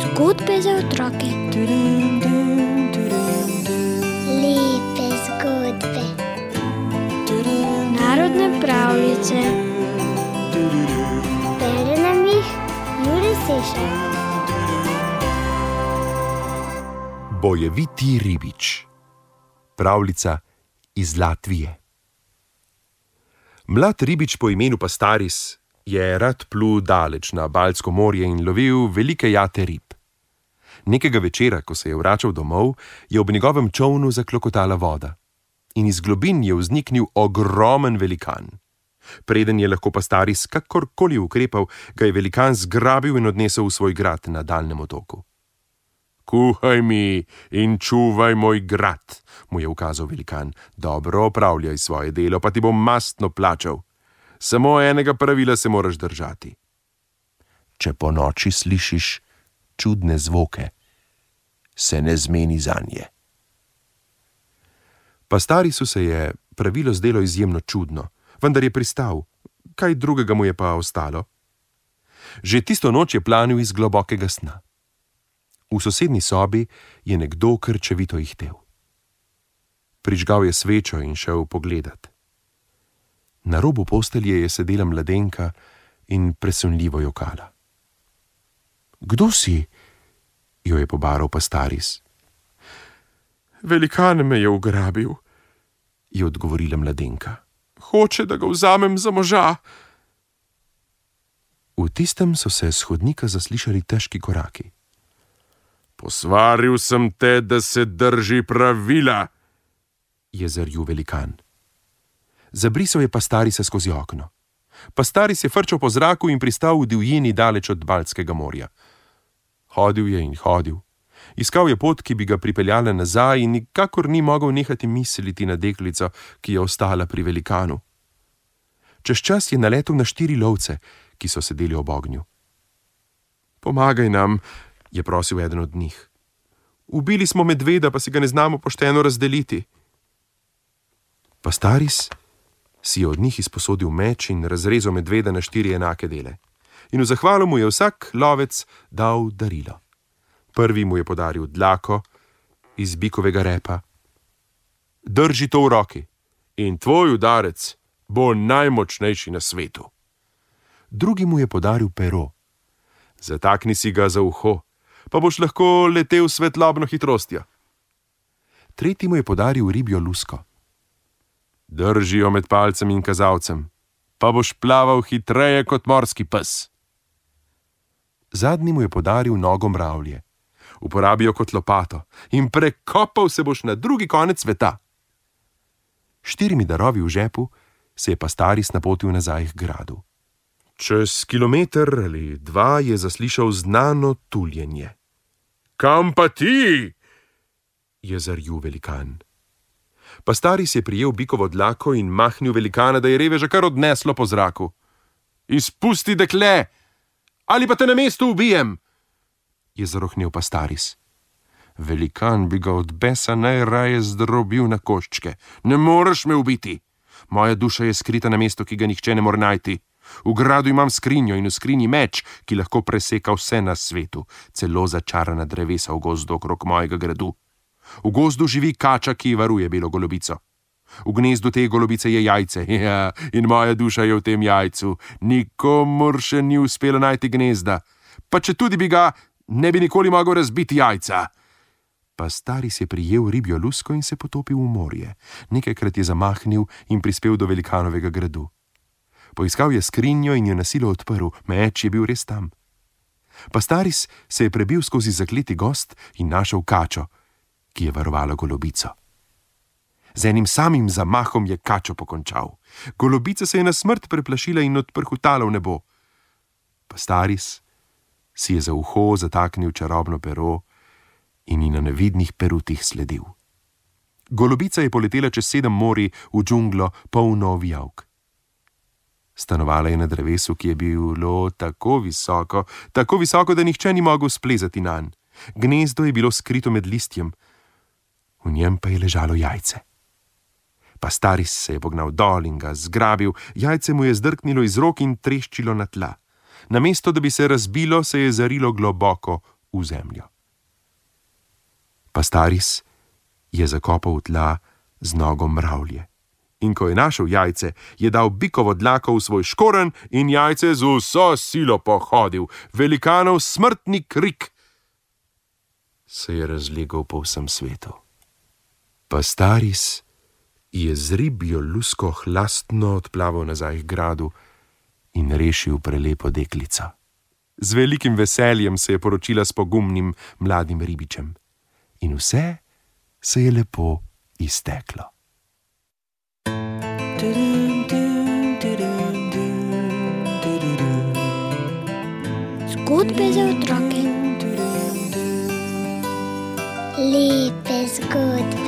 Zgodbe za otroke. Lepe zgodbe. Narodne pravljice. Bere nam jih Jure Sešar. Bojeviti ribič. Pravljica iz Latvije. Mlad ribič po imenu Pastaris je rad plul daleč na Baltsko morje in lovil velike jate rib. Nekega večera, ko se je vračal domov, je ob njegovem čolnu zaklokotala voda in iz globin je vzniknil ogromen velikan. Preden je lahko Pastaris kakorkoli ukrepal, ga je velikan zgrabil in odnesel v svoj grad na daljnem otoku. Kuhaj mi in čuvaj moj grad, mu je ukazal velikan. Dobro opravljaj svoje delo, pa ti bom mastno plačal. Samo enega pravila se moraš držati. Če po noči slišiš čudne zvoke, se ne zmeni zanje. Pastarisu se je pravilo zdelo izjemno čudno, vendar je pristal. Kaj drugega mu je pa ostalo? Že tisto noč je planil iz globokega sna. V sosednji sobi je nekdo krčevito ihtel. Prižgal je svečo in šel pogledat. Na robu postelje je sedela mladenka in presunljivo jokala. Kdo si? Jo je pobaral Pastaris. Velikan me je ugrabil, je odgovorila mladenka. Hoče, da ga vzamem za moža. V tistem so se s hodnika zaslišali težki koraki. Posvaril sem te, da se drži pravila, je zarjul velikan. Zabrisal je Pastarisa skozi okno. Pastaris je frčal po zraku in pristal v divjini daleč od Baltskega morja. Hodil je in hodil. Iskal je pot, ki bi ga pripeljala nazaj in nikakor ni mogel nehati misliti na deklico, ki je ostala pri velikanu. Čez čas je naletel na 4 lovce, ki so sedeli ob ognju. Pomagaj nam, je prosil eden od njih. Ubili smo medveda, pa si ga ne znamo pošteno razdeliti. Pastaris si je od njih izposodil meč in razrezal medveda na 4 enake dele. In v zahvalo mu je vsak lovec dal darilo. Prvi mu je podaril dlako iz bikovega repa. Drži to v roki in tvoj udarec bo najmočnejši na svetu. Drugi mu je podaril pero. Zatakni si ga za uho, pa boš lahko letel s svetlobno hitrostjo. Tretji mu je podaril ribjo lusko. Drži jo med palcem in kazalcem, pa boš plaval hitreje kot morski pes. Zadnji mu je podaril nogo mravlje. Uporabi jo kot lopato in prekopal se boš na drugi konec sveta. 4 darovi v žepu se je Pastaris napotil nazaj k gradu. Čez 1 kilometer ali 2 je zaslišal znano tuljenje. Kam pa ti? Je zarjul velikan. Pastaris je prijel bikovo dlako in mahnil velikana, da je reveža kar odneslo po zraku. Izpusti, dekle, ali pa te na mestu ubijem, je zarohnel Pastaris. Velikan bi ga od besa najraje zdrobil na koščke. Ne moreš me ubiti. Moja duša je skrita na mestu, ki ga nihče ne more najti. V gradu imam skrinjo in v skrinji meč, ki lahko preseka vse na svetu, celo začarana drevesa v gozdu okrog mojega gradu. V gozdu živi kača, ki varuje belo golobico. V gnezdu te golobice je jajce, ja, in moja duša je v tem jajcu. Nikomur še ni uspelo najti gnezda. Pa če tudi bi ga, ne bi nikoli mogel razbiti jajca. Pastaris je prijel ribjo lusko in se potopil v morje. Nekajkrat je zamahnil in prispel do velikanovega gradu. Poiskal je skrinjo in jo na silo odprl, meč je bil res tam. Pastaris se je prebil skozi zakleti gozd in našel kačo, ki je varovala golobico. Z enim samim zamahom je kačo pokončal. Golobica se je na smrt preplašila in odprhutala v nebo. Pastaris si je za uho zataknil čarobno pero in ji na nevidnih perutih sledil. Golobica je poletela čez 7 morij v džunglo polno ovijavk. Stanovala je na drevesu, ki je bilo tako visoko, da nihče ni mogel splezati nanj. Gnezdo je bilo skrito med listjem, v njem pa je ležalo jajce. Pastaris se je pognal dol in ga zgrabil, jajce mu je zdrknilo iz rok in treščilo na tla. Namesto da bi se razbilo, se je zarilo globoko v zemljo. Pastaris je zakopal v tla z nogo mravlje. In ko je našel jajce, je dal bikovo dlako v svoj škorenj in jajce z vso silo pohodil. Velikanov smrtni krik se je razlegel po vsem svetu. Pastaris je z ribjo lusko hlastno odplaval nazaj k gradu in rešil prelepo deklico. Z velikim veseljem se je poročila s pogumnim mladim ribičem. In vse se je lepo izteklo. Zgodbe za otroke. Lepe zgodbe.